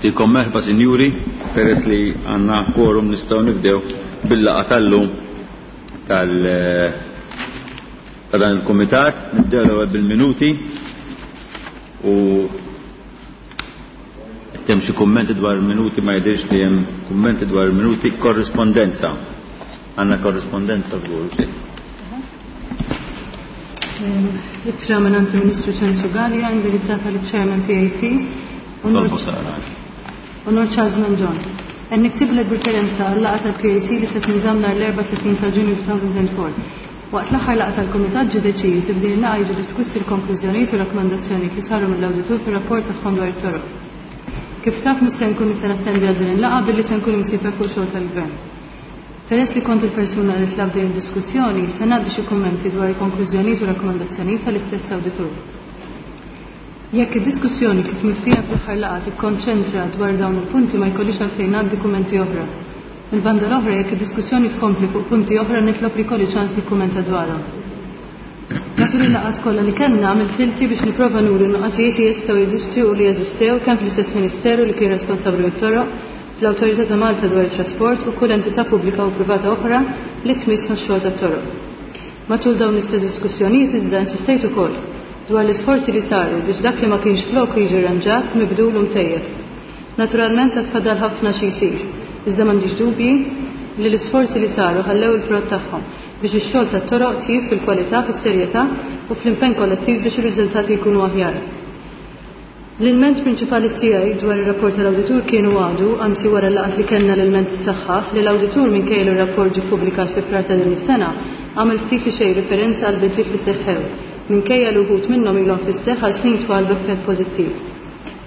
Ntikom merħba sinjuri, peress li għandna quorum nistgħu nibdew bil-laqgħa tal-lum tal ta' dan il-kumitat, nibdew l-ewwel bil-minuti u hemm xi kummenti dwar il-minuti ma jidhirx li hemm kummenti dwar il-minuti korrispondenza. Għandna korrispondenza żgur. Ittra minn il-Ministru Ċensu Gallia indirizzata liċ-Chairman PAC. Onor Charles Mangion. Qed niktiblek b'riferenza għal-laqgħa tal-PAC li se tinżamm nhar l-34 ta' Ġunju 2004. Waqt l-aħħar laqgħa tal-Kumitat ġie deċiż li f'din il-laqgħa jiġu diskussi l-konklużjonijiet u rakkomandazzjonijiet li saru mill-awditur fir-rapport tagħhom dwar it-toroq. Kif taf mhux se nkun nista' nattendi għal din il-laqgħa billi se nkun imsiefer fuq xogħol tal-Gvern. Peress li kont il-persuna li tlabt din id-diskussjoni, se ngħaddi xi kummenti dwar il-konklużjonijiet u rakkomandazzjonijiet tal-istess awditur. Jekk id-diskussjoni kif miftija fl-aħħar laqgħa tikkonċentra dwar dawn il-punti ma jkollix għalfejn ngħaddi kummenti oħra. Mill-banda l-oħra jekk id-diskussjoni tkompli fuq punti oħra nitlob li jkolli ċans nikkummenta dwarhom. Matul il-laqgħat kollha li kellna għamilt ħilti biex nipprova nuri n-nuqqasijiet li jistgħu jeżistu u li jeżistew kemm fl-istess Ministeru li kien responsabbli mit-toroq, fl-Awtorità ta' Malta dwar it-Trasport u kull entità pubblika u privata oħra li tmiss max-xogħol tat-toroq. Matul dawn l-istess diskussjonijiet iżda insistejt ukoll dwar l-isforzi li saru biex dak li ma kienx floku jiġi rranġat, mibdul u mtejjeb. Naturalment għad fadal ħafna xi jsir, iżda m'għandix dubji li l-isforzi li saru ħallew il-frott tagħhom biex ix-xogħol tat-toroq tjieb fil-kwalità, fis-serjetà u fl-impenn kollettiv biex ir-riżultati jkunu aħjar. L-ilment prinċipali tiegħi dwar ir-rapport tal-awditur kien u għadu, anzi wara l-laqgħat li kellna l-ilment issaħħaħ, li l-awditur minkejja li r-rapport ġie ppubblikat fi Frar ta' din is-sena, għamel ftit li xejn riferenza għall-bidliet li seħħew, minkejja li wħud minnhom ilhom fis-seħħ għal snin twal b'effett pożittiv.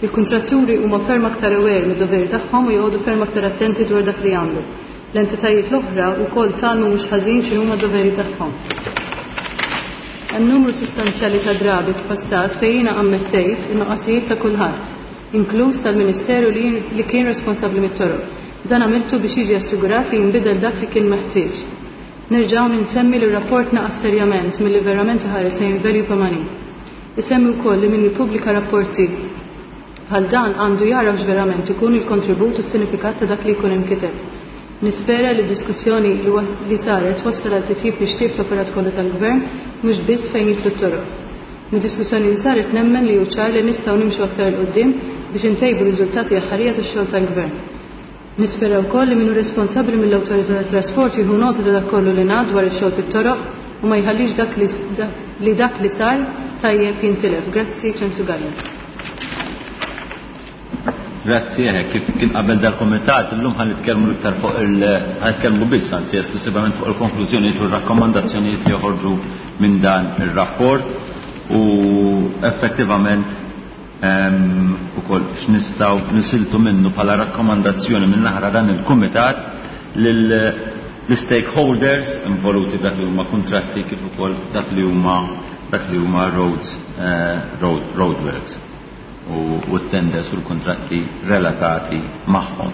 Il-kuntratturi huma ferm aktar aware mid-doveri tagħhom u joqogħdu ferm aktar attenti dwar dak li jagħmlu. L-entitajiet l-oħra wkoll tgħallmu mhux ħażin x'inhuma d-doveri tagħhom. Hemm numru sostanzjali ta' drabi f'passat fejn jiena ammettejt in-nuqqasijiet ta' kulħadd, inkluż tal-Ministeru li, li kien responsabbli mit-toroq. Dan għamiltu biex jiġi assigurat li jinbidel dak li kien meħtieġ. Nerġa' hawn insemmi li r-rapport naqas serjament milli verament iħares lejn il-value for money. Isemmi wkoll li min jippubblika rapporti bħal dan għandu jagħraf x'verament ikun il-kontribut u s-sinifikat ta' dak li jkun inkiteb. Nispera li d-diskussjoni li saret twassal għal titjib mixtieq fl-operat kollu tal-Gvern mhux biss fejn jidħlu t-toroq. Mid-diskussjoni li saret nemmen li hu ċar li nistgħu nimxu aktar 'il quddiem biex intejbu r-riżultati aħħarija tax-xogħol tal-Gvern. Nispera wkoll li min hu responsabbli mill-Awtorità tat-Trasport jieħu nota ta' dak kollu li ngħad dwar ix-xogħol fit-toroq u ma jħallix dak li li dak li sar tajjeb jintilef. Grazzi, Ċensu Galea. Grazzi, eh, kif kien qabel dal-komitat, illum ħan nitkellmu iktar fuq il ħan nitkellmu biss, anzi esklusivament fuq il-konklużjonijiet u r-rakkomandazzjonijiet li joħorġu minn dan ir-rapport u effettivament ukoll x'nistgħu nisiltu minnu bħala rakkomandazzjoni minn naħra dan il-kumitat lill-stakeholders involuti dak li huma kuntratti kif ukoll dak li huma dak li huma roads eh, road roadworks u t-tenders u l-kuntratti relatati magħhom.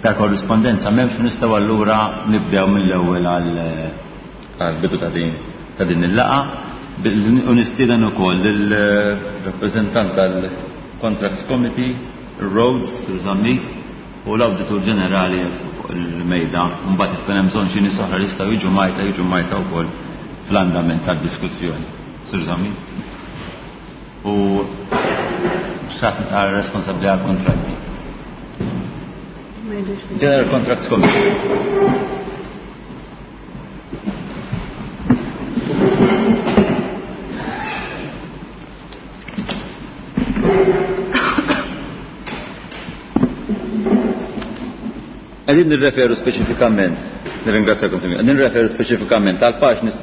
Ta' korrispondenza m'hemmx nistgħu allura nibdew mill-ewwel għall-bidu ta' din ta' din il-laqgħa u nistieden ukoll lill-rappreżentant tal-Contracts Committee, Rhodes, Sir Zammit, u l-Awditur Ġenerali fuq il-mejda. Mbagħad jekk hemm bżonn xi nies oħra li jistgħu jiġu majta jiġu majta wkoll fl-andament tad-diskussjoni. Sir Zammit. U xaħt responsabbli għal kontratti. General Contracts Committee. Għedin nirreferu speċifikament, nirringrazzjakom sinjur, qegħdin nirreferu speċifikament għal paġni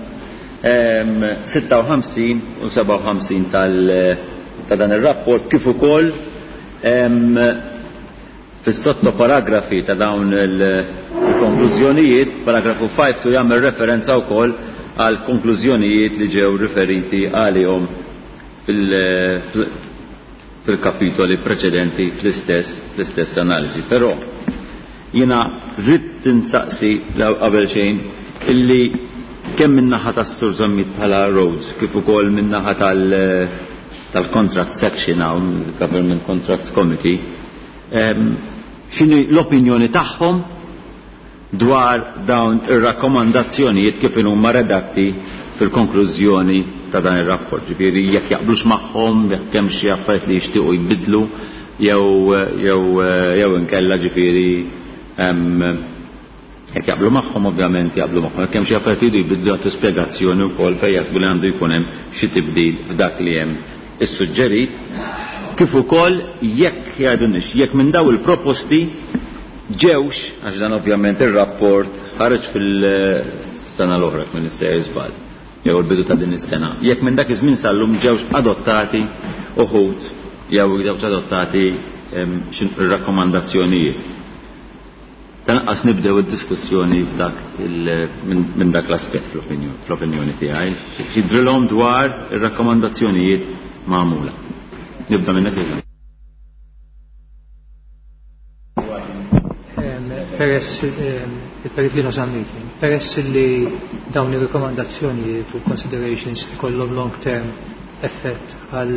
56 u 57 tal ta' dan ir-rapport kif ukoll fis-sottoparagrafi ta' dawn il-konklużjonijiet, paragrafu 5 tu jagħmel referenza wkoll għal konklużjonijiet li ġew riferiti għalihom fil-kapitoli preċedenti fl-istess fl-istess analiżi. Però jiena rrid insaqsi qabel xejn illi kemm min-naħa tas-Sur Zammit bħala Rhodes kif ukoll min-naħa tal- tal-contract section hawn, il-Government Contracts Committee, x'inhi l-opinjoni tagħhom dwar dawn ir-rakkomandazzjonijiet kif huma redatti fil-konklużjoni ta' dan ir-rapport. Ġifieri jekk jaqblux magħhom, jekk hemm xi affarijiet li jixtiequ jbidlu jew inkella ġifieri jekk jaqblu magħhom ovvjament jaqblu magħhom. Jekk hemm xi affarijiet li jbidlu jagħtu spjegazzjoni wkoll fejn jaħsbu li għandu jkun hemm xi tibdil f'dak li hemm issuġġerit, kif ukoll jekk jgħidulniex jekk minn daw il-proposti ġewx, għax dan ovvjament ir-rapport ħareġ fil-sena l-oħra minn is-sejjer żball, jew il-bidu ta' din is-sena, jekk minn dak iż-żmien sal-lum ġewx adottati uħud jew ġewx adottati ir-rakkomandazzjonijiet. Tanqas nibdew id-diskussjoni f'dak minn dak l-aspett fl-opinjoni tiegħi. Jidrilhom dwar ir-rakkomandazzjonijiet magħmula. Nibda minnek Iżan. Peress il-Perit Lino Zammit, peress li dawn ir-rekomandazzjonijiet u considerations ikollhom long term effett għal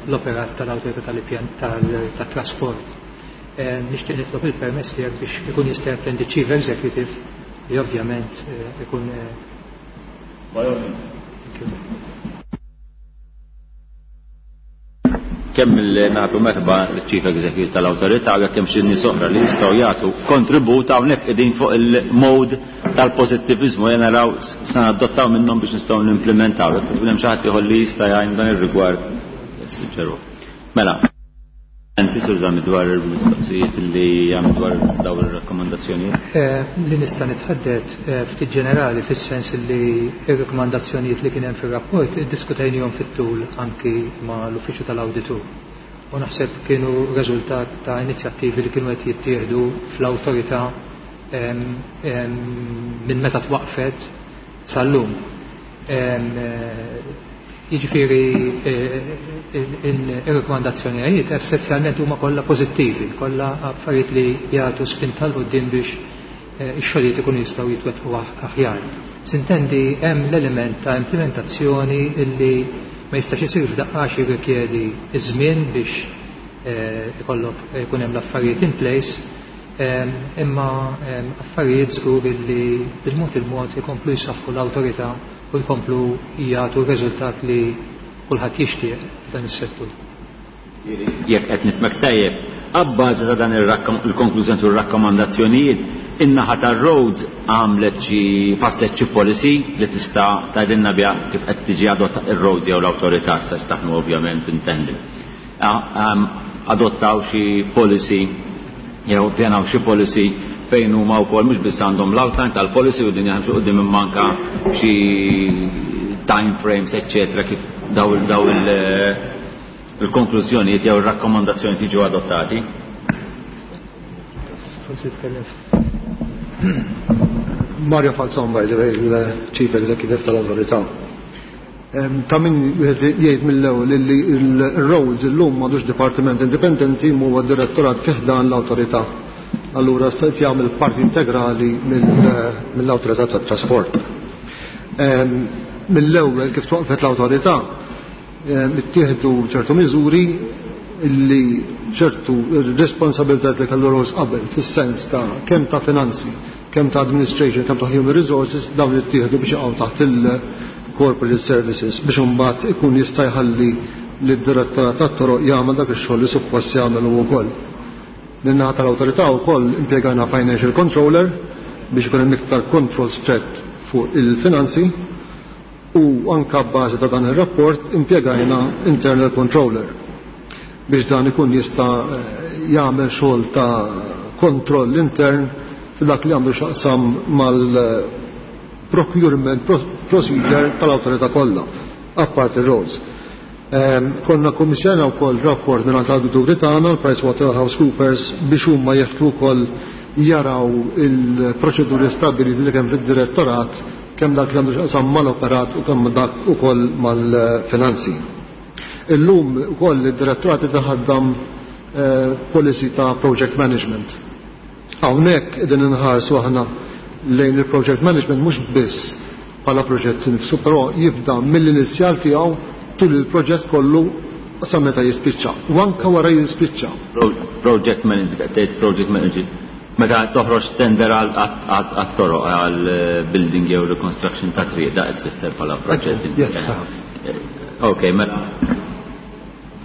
l-operat tal-awtorità tal-pjan tat-trasport. Nixtieq nitlob il-permess tiegħek biex ikun jista' jattendi Chief Executive li ovvjament ikun. Thank you. Kemm li nagħtu merħba l-Chief Executive tal-Awtorità u jekk hemm xi nies oħra li jistgħu jagħtu kontribut hawnhekk qegħdin fuq il-mode tal-pożittiviżmu jien naraw se nadottaw minnhom biex nistgħu nimplementaw. Jekk hemm xi ħadd ieħor li jista' jgħin dan ir-rigward suġġeru. Mela, inti Sur Zammit dwar il-mistoqsijiet li għamil dwar dawn ir-rakkomandazzjonijiet? Li nista' nitħaddet ftit ġenerali fis-sens li r-rakkomandazzjonijiet li kien hemm fir-rapport iddiskutejnihom fit-tul anki ma' l-Uffiċċju tal-Awditur. U naħseb kienu riżultat ta' inizjattivi li kienu qed jittieħdu fl-awtorità minn meta twaqfet sal-lum. Jiġifieri ir-rakkomandazzjonijiet essenzjalment huma kollha pożittivi, kollha affarijiet li jagħtu spinta 'l quddiem biex ix-xogħlijiet ikunu jistgħu jitwettqu aħjar. Sintendi hemm l-element ta' implementazzjoni illi ma jistax isir f'daqqa għax jirrikjedi ż-żmien biex ikollok ikun hemm l-affarijiet in place, imma affarijiet żgur illi bil-mod il-mod ikomplu jsaħħu l-awtorità u jkomplu jagħtu r-riżultat li kulħadd jixtieq f'dan is-settur. Jekk qed nifhmek tajjeb, abbażi ta' dan il-konklużjoni u r-rakkomandazzjonijiet, in-naħa tar-roads għamlet xi faslet xi policy li tista' tgħidilna biha kif qed tiġi adotta ir-roads jew l-awtorità sa taħnu ovvjament intendi. Adottaw xi policy jew pjanaw xi policy fejn huma wkoll mhux biss għandhom l-outline tal-policy u din jaħdmu quddiem imma anke xi time frames eċċetera kif daw il-konklużjonijiet jew ir-rakkomandazzjonijiet jiġu adottati. Forsi tkellem. Mario Falzon, by the way, il-Chief Executive tal-Awtorità. Ta' min wieħed jgħid mill-ewwel li l-Roads illum m'għadux dipartiment indipendenti huwa direttorat fi ħdan l-awtorità. Allura se jagħmel parti integrali mill-awtorità tat-trasport. Mill-ewwel kif twaqfet l-awtorità ittieħdu ċertu miżuri illi ċertu responsabilità li kellu Roads qabel fis-sens ta' kemm ta' finanzi, kemm ta' administration, kemm ta' human resources dawn ittieħdu biex jaqgħu taħt il-corporate services biex imbagħad ikun jista' jħalli lid-direttorat tat-toroq jagħmel dak ix-xogħol li suppost jagħmel hu wkoll. Min-naħa tal-awtorità wkoll impjegajna financial controller biex ikun hemm iktar control strett fuq il-finanzi u anka b'bażi ta' dan ir-rapport impjegajna internal controller biex dan ikun jista' jagħmel xogħol ta' kontroll intern f'dak li għandu x'aqsam mal-procurement procedure tal-awtorità kollha, apparti roads. Konna kommissjona wkoll rapport minn l-awdituri tagħna, l-PricewaterhouseCoopers, biex huma jeħtlu wkoll jaraw il-proċeduri stabbiliti li kemm fid-direttorat, kemm dak li għandu x'aqsam mal-operat u kemm dak ukoll mal-finanzi. Illum ukoll id-direttorat itaħaddam policy ta' project management. Hawnhekk qegħdin inħarsu aħna lejn il-project management mhux biss bħala proġett nifsu, però jibda mill-inizjal tiegħu tul il-proġett kollu sa meta jispiċċa. U anka wara jispiċċa. Project manager, tgħid project manager. Meta toħroġ tender għat-toroq għal building jew reconstruction ta' triq, da qed tfisser bħala project. Yes. Ok, mela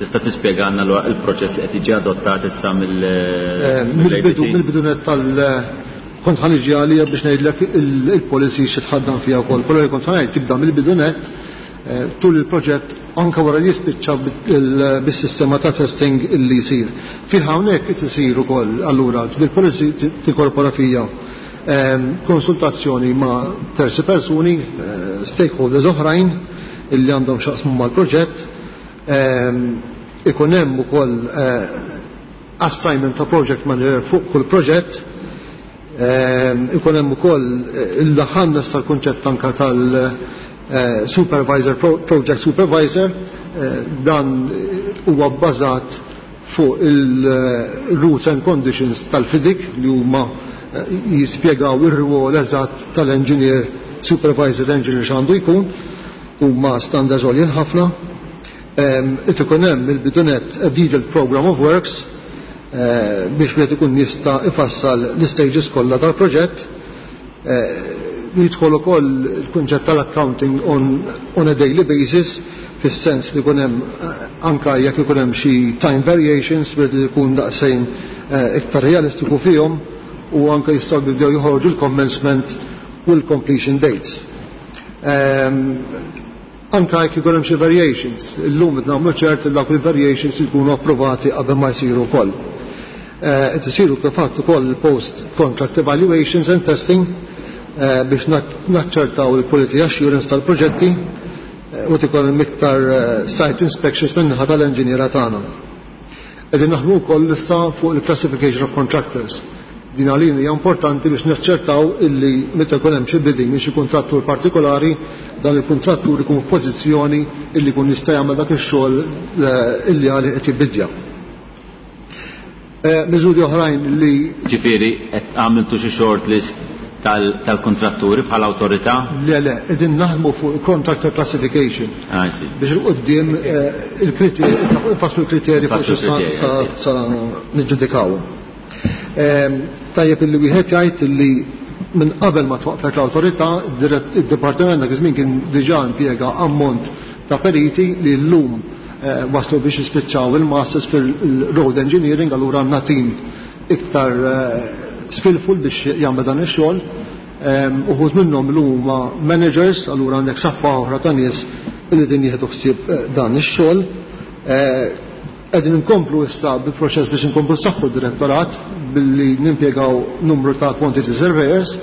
tista' tispjegana l-proċess li qed jiġi adottat issa mill Mill-bidu, mill-bidu net tal kont ħa niġi għalija biex ngħidlek il-policy xi tħaddan fiha wkoll. Però li kont ħa ngħid tibda mill-bidu net tul il-proġett anke wara li jispiċċa bis-sistema ta' testing illi jsir. Fih hawnhekk qed isir ukoll allura il-policy tinkorpora fija konsultazzjoni ma' terzi persuni, stakeholders oħrajn illi għandhom x'jaqsmu mal-proġett, ikun hemm ukoll assignment ta' project manager fuq kull proġett, ikun hemm ukoll il-laħanna tal-kunċett anka tal-supervisor, project supervisor, dan huwa bbażat fuq il-rules and conditions tal-FIDIC li huma jispjegaw ir-rwol eżatt tal-engineer, supervisor engineer x'għandu jkun, huma standards għoljin ħafna. It ikun hemm il-bidu net a detailed program of works biex wieħed ikun jista' ifassal l-stages kollha tal-proġett. Jidħol ukoll il-kunċett tal-accounting on a daily basis, fis-sens li jkun hemm anka jekk ikun hemm xi time variations biex ikun daqsxejn iktar realistiku fihom, u anka jistgħu jibdew joħorġu l-commencement u l-completion dates. Anka jekk ikun hemm xi variations, illum qed nagħmlu ċert li dawk il-variations jkunu approvati qabel ma jsiru wkoll. Qed isiru kif fatt ukoll post contract evaluations and testing biex naċċertaw il-quality assurance tal-proġetti u tikun hemm iktar site inspections min-naħa tal-enġiniera tagħna. Qegħdin naħdmu wkoll issa fuq il-classification of contractors. Din għalina hija importanti biex naċċertaw illi meta jkun hemm xi bidding minn xi kuntrattur partikolari, dan il-kuntrattur ikun f'pożizzjoni illi jkun jista' jagħmel dak ix-xogħol illi għalih qed jibidja. Miżuri oħrajn li Ġifieri qed għamiltu xi short list tal-kontratturi bħala awtorità? Le, le, qegħdin naħdmu fuq contractor classification. Ah, sì. Biex il-qudiem il-kriterji, nfasslu l-kriterji fuq Nfasslu l-kriterji, sì. sa niġġudikaw. Tajjeb illi wieħed jgħid illi minn qabel ma twaqfet l-awtorità, id-dipartiment dak iż-żmien kien diġà impjega ammont ta' periti li llum waslu biex jispiċċaw il-masters fil-road engineering, allura għandna tim iktar skillful biex jagħmel dan ix-xogħol. Uħud minnhom li huma managers, allura għandek saffa oħra ta' nies li din jieħdu ħsieb dan ix-xogħol. Qegħdin inkomplu issa bil-proċess biex inkomplu saħħu d-direttorat billi nimpjegaw numru ta' quantity surveyors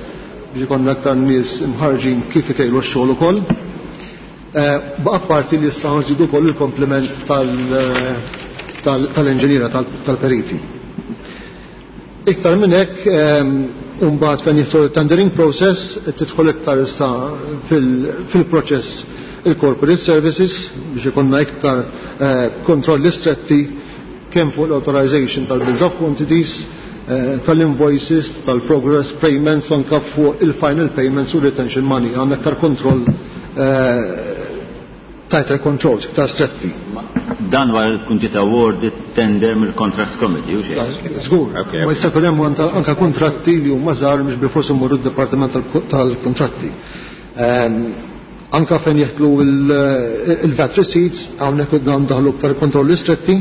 biex ikollna aktar nies imħarġin kif ikejlu x-xogħol ukoll. Apparti li issa nżidu wkoll il-komplement tal-inġiniera tal-periti. Iktar minn hekk, mbagħad fejn jidħol il-tendering process, tidħol iktar issa fil-proċess il-corporate services biex ikollna iktar kontrolli stretti kemm fuq l-authorization tal-bills of quantities, tal-invoices, tal-progress payments, u anka fuq il-final payments u retention money. Għandna iktar kontroll, tighter controls, iktar stretti. Dan wara li tkun ġiet awarded tender mill-Contracts Committee, u xejn? Żgur. Ma jista' jkun hemm anka kontratti li huma żgħar mhux bilfors imorru d-Dipartiment tal-Kontratti. Anka fejn jeħtlu il-VAT receipts, hawnhekk dan daħlu iktar kontrolli stretti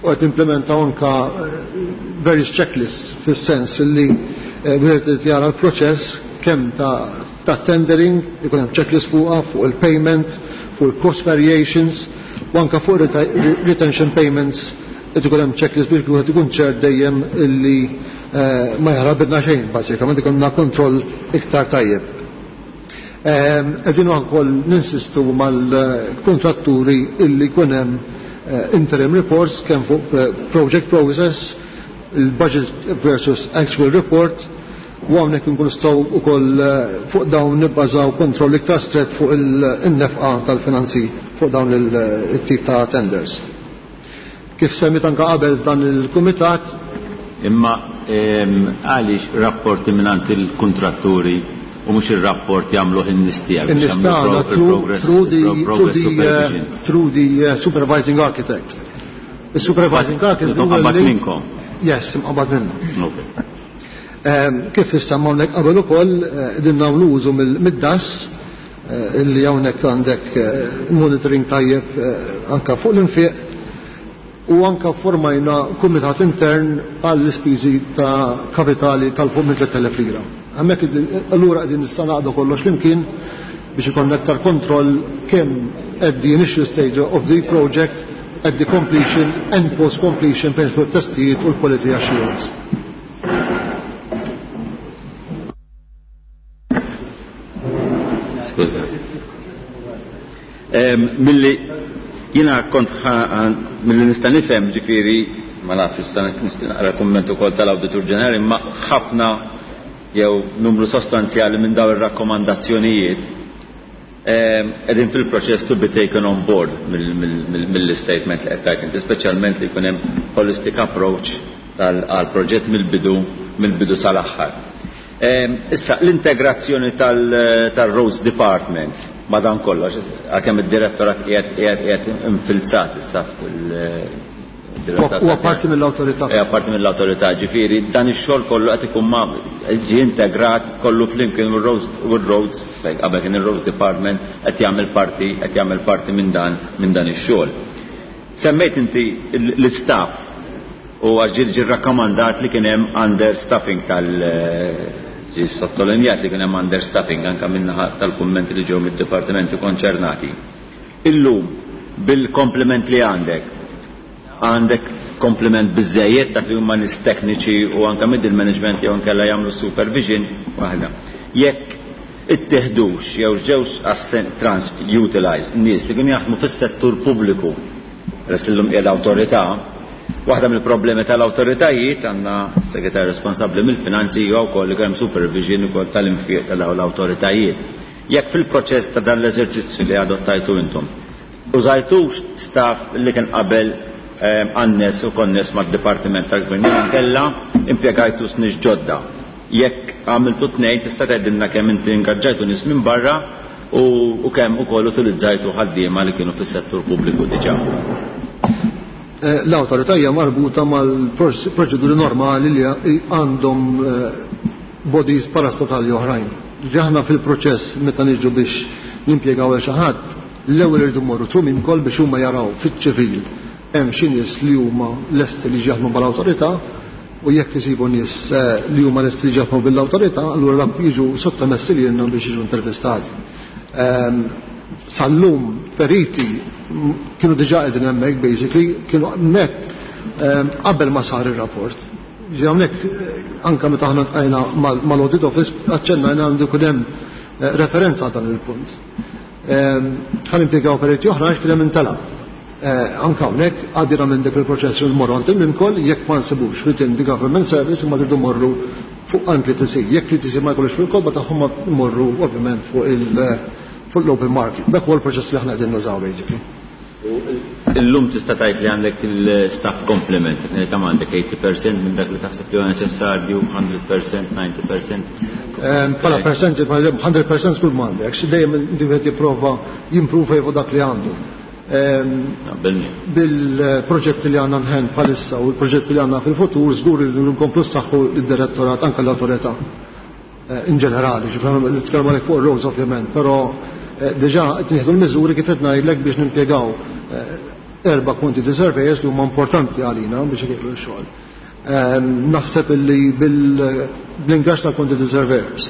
u qed implementaw anka various checklists fis-sens li wieħed irid jara l-proċess kemm ta' tendering, ikun hemm checklist fuqha, fuq il-payment, fuq il-cost variations, u anka fuq retention payments, qed ikun hemm checklist biex wieħed ikun ċert dejjem illi ma jaħrabilna xejn, bażikament ikollna kontroll iktar tajjeb. Qegħdin ukoll ninsistu mal-kontratturi illi jkun hemm interim reports kemm fuq project process, il-budget versus actual report, u hawnhekk inkunu nistgħu wkoll fuq dawn nibbażaw kontroll iktar strett fuq in-nefqa tal-finanzi fuq dawn it-tip ta' tenders. Kif semmit anka qabel f'dan il-kumitat. Imma għaliex rapporti mingħand il-kontratturi U mhux ir-rapport jagħmluh in-nies tiegħek. In-nies tagħna through the supervising architect. Il-supervising architect huwa mqabbad minnkom. Yes, imqabbad minna. Kif issemma hawnhekk qabel ukoll qegħdin nagħmlu użu mid-DAS illi hawnhekk għandek monitoring tajjeb anka fuq l-infiq u anka formajna kumitat intern għall-ispiżi ta' kapitali tal-fuq minn 3000 lira. Hemmhekk allura qegħdin nista' naqdu kollox flimkien biex ikollna aktar kontroll kemm at the initial stage of the project, at the completion and post-completion fejn jidħlu t-testijiet u l-quality assurance. Skuża. Milli jiena kont milli nista' nifhem ġifieri ma nafx issa nixtieq naqra kumment ukoll tal-Awditur Ġenerali imma ħafna jew numru sostanzjali minn dawn ir-rakkomandazzjonijiet qegħdin fil-proċess to be taken on board mill-istatement li qed tgħid inti, speċjalment li jkun hemm holistic approach għall-proġett mill-bidu mill-bidu sal-aħħar. Issa l-integrazzjoni tal-Roads Department ma' dan kollox, għalkemm id-direttorat qiegħed qiegħed qiegħed infilzat issa Huwa parti mill-awtorità. Huwa parti mill-awtorità, ġifieri dan ix-xogħol kollu qed ikun ma' ġie integrat kollu flimkien u r-Roads fejn qabel kien ir-Roads Department qed jagħmel parti qed jagħmel parti minn dan minn dan ix-xogħol. Semmejt inti l-istaff u għax ġie ġie rrakkomandat li kien hemm understaffing tal ġie sottolinjat li kien hemm understaffing anke min-naħa tal-kummenti li ġew mid-dipartimenti konċernati. Illum bil-komplement li għandek, għandek komplement biżżejjed dak li huma nies tekniċi u anke middle management jew inkella jagħmlu supervision waħda. Jekk ittieħdux jew ġewx trans utilized nies li kienu jaħdmu fis-settur pubbliku peress illum qiegħda awtorità, waħda mill-problemi tal-awtoritajiet għandna s-segretarju responsabbli mill-finanzi huwa wkoll li hemm supervision ukoll tal-infiq ta' dawn l-awtoritajiet. Jekk fil-proċess ta' dan l-eżerċizzju li adottajtu intom, użajtux staff li kien qabel annes u konness mad-Dipartiment tal-Gvern jew inkella impjegajtu nies ġodda. Jekk għamiltu tnejn tista' tgħidilna kemm inti ingaġġajtu nies minn barra u kemm ukoll utilizzajtu ħaddiema li kienu fis-settur pubbliku diġà. L-awtorità hija marbuta mal-proċeduri normali li għandhom bodies parastatali oħrajn. Aħna fil-proċess meta niġu biex nimpjegaw għal xi ħadd, l-ewwel irridu mmorru through Mimcol biex huma jaraw fiċ-ċivil hemm xi nies li huma lesti li jaħdmu mal-awtorità u jekk isibu nies li huma lesti li jaħdmu bil-awtorità, allura dak jiġu sottomessi lilna biex jiġu intervistati. Sal-lum periti kienu diġà qegħdin hemmhekk basically, kienu hemmhekk qabel ma sar ir-rapport. Ġi hawnhekk anke meta aħna tqajna mal-Audit Office aċċennajna għandu jkun hemm referenza għal dan il-punt. Ħa nimpjegaw periti oħra għax kien hemm intalab. Anke hawnhekk għaddina minn dik il-proċess li mmorru għand il-Mimcol jekk ma nsibux within the government service imma tridu mmorru fuq għand l-ETC. Jekk l-ETC ma jkollux fil-kotba tagħhom mmorru ovvjament fuq fuq l-open market. Dak huwa l-proċess li aħna qegħdin nużaw basically. Illum tista' tgħid li għandek il-staff complement, kemm għandek 80% minn dak li taħseb li huwa neċessarju, 100%, 90%? Bħala percent, 100% kull m'għandek, dejjem wieħed jipprova jimprova fuq dak li għandu. Bil-proġetti li għandna nħen bħalissa u l-proġetti li għandna fil-futur, żgur li nkomplu saħħu l-direttorat anke l-awtorità in ġenerali, ġifieri nitkellmu għalhekk fuq ir-roads ovvjament, però diġà qed nieħdu l-miżuri kif qed ngħidlek biex nimpjegaw erba' quantity surveyors li huma importanti għalina biex ikejlu x-xogħol. Naħseb illi bil-ingaġġ ta' quantity surveyors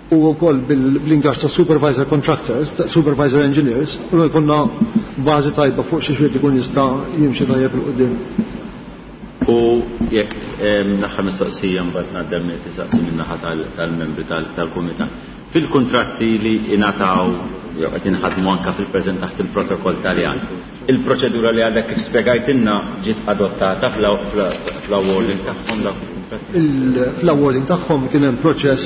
u wkoll bil-ingaġġ ta' supervisor contractors, ta' supervisor engineers, u jkollna bażi tajba fuq xi xwiet ikun jista' jimxi tajjeb 'il quddiem. U jekk naħħa mistoqsija mbagħad ngħaddem li tisaqsi min-naħa tal-membri tal-kumitat. Fil-kuntratti li ingħataw jew qed inħadmu anke fil-preżent taħt il-protokoll Taljan, il-proċedura li għadek kif spjegajtilna ġiet adottata fl-awarding tagħhom dawk il-kuntratti? Fl-awarding tagħhom kien hemm proċess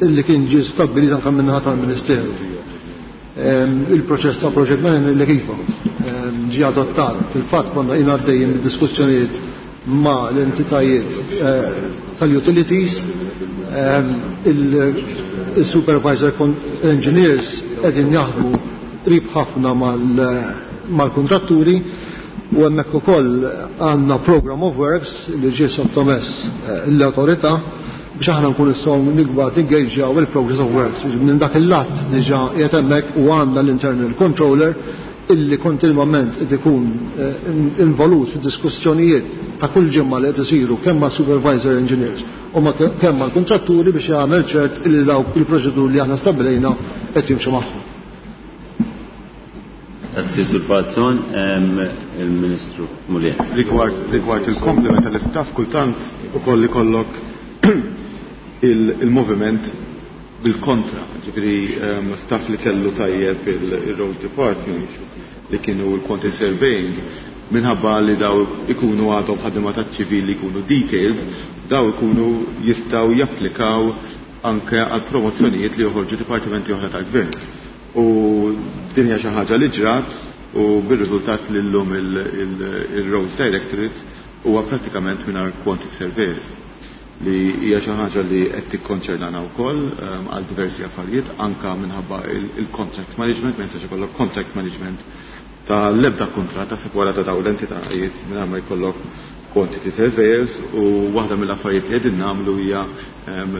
illi kien ġie stabbilit anke min-naħa tal-Ministeru. Il-proċess ta' project management li kif ġie adottat. Fil-fatt konna jien għaddejjin mid-diskussjonijiet ma' l-entitajiet tal-utilities. Il-supervisor engineers qegħdin jaħdmu qrib ħafna mal-kontratturi u hemmhekk ukoll għandna program of works li ġie sottomess l-awtorità biex aħna nkun nistgħu nikbad engagjaw il-progress of works. Minn dak il-lat diġà qiegħed hemmhekk u għandna l-internal controller illi kontinwament qed ikun involut fid-diskussjonijiet ta' kull ġimgħa li qed isiru kemm ma' supervisor engineers u ma' kemm mal-kontratturi biex jagħmel ċert illi dawk il-proċeduri li aħna stabbilejna qed jimxu magħhom. Grazzi Sur Falzon, il-Ministru Mulin. Rigward il-komplement tal-istaff kultant ukoll ikollok il-moviment bil-kontra, ġifieri staff li kellu tajjeb il-Road Department li kienu l-quantity surveying, minħabba li daw ikunu għadhom ħaddiema taċ-ċivil li jkunu detailed, daw ikunu jistgħu japplikaw anke għal promozzjonijiet li joħorġu dipartimenti oħra tal-gvern. U din hija xi ħaġa li ġrat u bir-riżultat li llum il-Roads Directorate huwa prattikament mingħajr quantity surveyors, li hija xi ħaġa li qed tikkonċernana wkoll għal diversi affarijiet, anka minħabba il-contract management, ma jistax ikollok contract management ta' l-ebda kuntratt ta' wara ta' dawn l-entitajiet mingħajr ma jkollok quantity surveyors, u waħda mill-affarijiet li qegħdin nagħmlu hija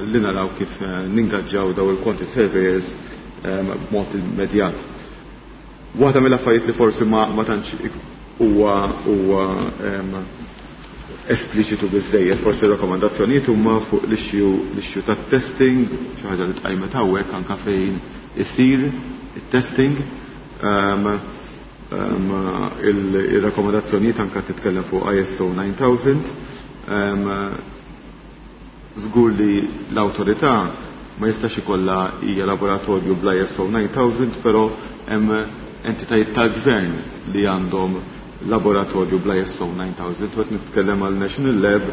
li naraw kif ningaġġaw daw il-quantity surveyors b'mod immedjat. Waħda mill-affarijiet li forsi ma tantx huwa espliċitu biżejjed, forsi r-rakkomandazzjonijiet huma fuq l-issue tat-testing, xi ħaġa li tqajmet hawnhekk anke fejn isir it-testing. Il-rakkomandazzjonijiet anke titkellem fuq ISO 9000. Żgur li l-awtorità ma jistax ikollha hija laboratorju bl ISO 9000, però hemm entitajiet tal-gvern li għandhom laboratorju bl ISO 9000, u qed nitkellem għal National Lab,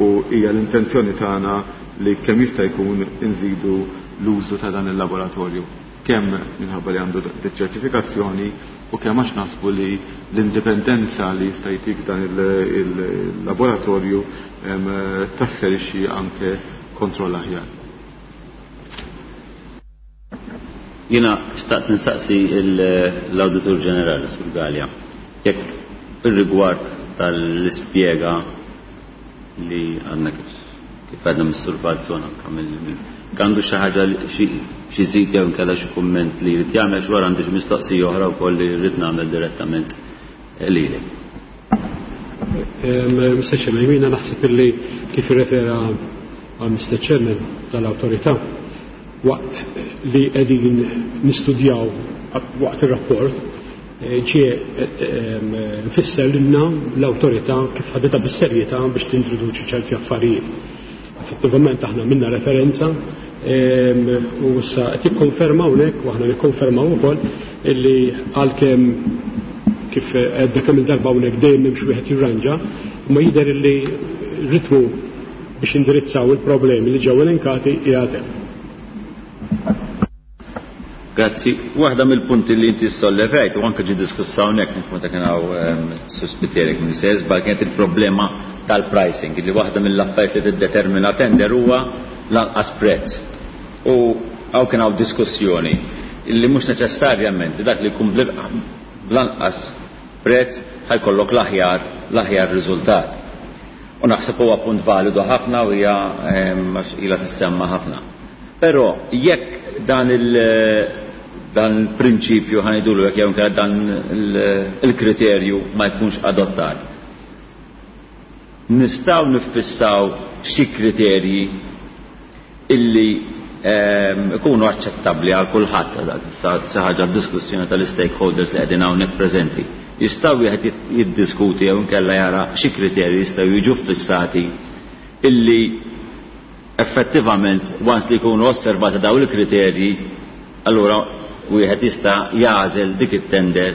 u hija l-intenzjoni tagħna li kemm jista' jkun inżidu l-użu ta' dan il-laboratorju, kemm minħabba li għandu ċertifikazzjoni u kemm għax naħsbu li l-indipendenza li jista' jtik dan il-laboratorju tasserixxi anke kontroll aħjar. Jiena xtaqt nsaqsi l-Awditur Ġenerali Sur Galea, jekk fir-rigward tal-ispjega li għandna kif għadna mis-Sur Falzon anke għandu xi ħaġa xi żid jew inkella xi kumment li jrid jagħmel, xi wara għandi xi mistoqsija oħra wkoll li rrid nagħmel direttament lilek. Mr. Chairman, jiena naħseb illi kif irrefera għal Mr. Chairman tal-awtorità waqt li qegħdin nistudjaw waqt ir-rapport, ġie nfisser lilna l-awtorità kif ħadetha bis-serjetà biex tintroduċi ċerti affarijiet. Effettivament aħna minna referenza, u issa qed jikkonfermaw hawnhekk u aħna nikkonfermaw ukoll illi għalkemm kif għedna kemm il-darba hawnhekk dejjem m'hemmx wieħed jirranġa, imma jidher illi ritmu biex indirizzaw il-problemi li ġew elenkati qiegħed hemm. Grazzi. Waħda mill-punti li inti sollevajt u anke ġie diskussa hawnhekk meta kien hawn suspitterek minn se żball kienet il-problema tal-pricing, li waħda mill-affarijiet li tiddetermina tender huwa lanqas prezz. U hawn kien hawn diskussjoni li mhux neċessarjament li dak li jkun bl-anqas prezz ħajkollok l-aħjar riżultat. U naħseb huwa punt validu ħafna u hija għax ilha tissemma ħafna. Però jekk dan il-prinċipju ħanidulu jekk jew inkella dan il-kriterju ma jkunx adottat, nistgħu niffissaw xi kriterji illi ikunu aċċettabbli għal kulħadd, xi ħaġa diskussjoni tal-stakeholders li qegħdin hawnhekk preżenti. Jistgħu wieħed jiddiskuti jew inkella jara xi kriterji jistgħu jiġu ffissati illi effettivament once li jkunu osservati dawn il-kriterji, allura wieħed jista' jagħżel dik it-tender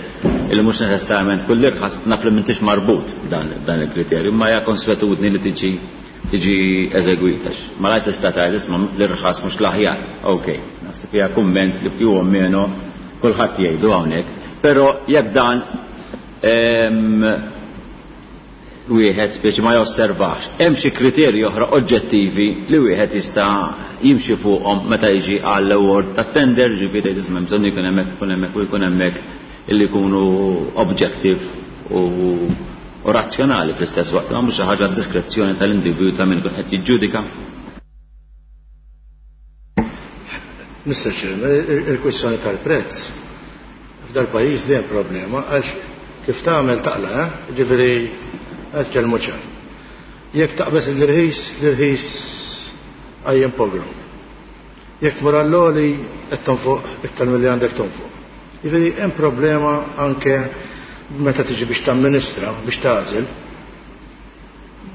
illi mhux neċessarjament kull irħas, naf li m'intix marbut dan il-kriterju, imma hija konswetudni li tiġi eżegwita. Malajr tista' tgħid isma' l-irħas mhux l-aħjar. Ok, naħseb hija kumment li più o meno kulħadd jgħidu hawnhekk, però jekk dan wieħed speċi ma josservax. Hemm xi kriterji oħra oġġettivi li wieħed jista' jimxi fuqhom meta jiġi għall award ta' tender, ġifieri isma' bżonn jkun hemmhekk, ikun hemmhekk u jkun hemmhekk illi jkunu objective u razzjonali fl-istess waqt, ma mhux xi ħaġa diskrezzjoni tal-individwu ta' min ikun qed jiġġudika. Mr. Chairman, il-kwistjoni tal-prezz f'dal pajjiż dejjem problema għax kif tagħmel taqla, eh? Ġifieri qed kelmu ċar. Jekk taqbeż l-irħis, l-irħis għajjem pogrom. Jekk tmur għall-għoli qed tonfoq iktar milli għandek tonfoq. Jiġifieri hemm problema anke meta tiġi biex tamministra, biex tagħżel,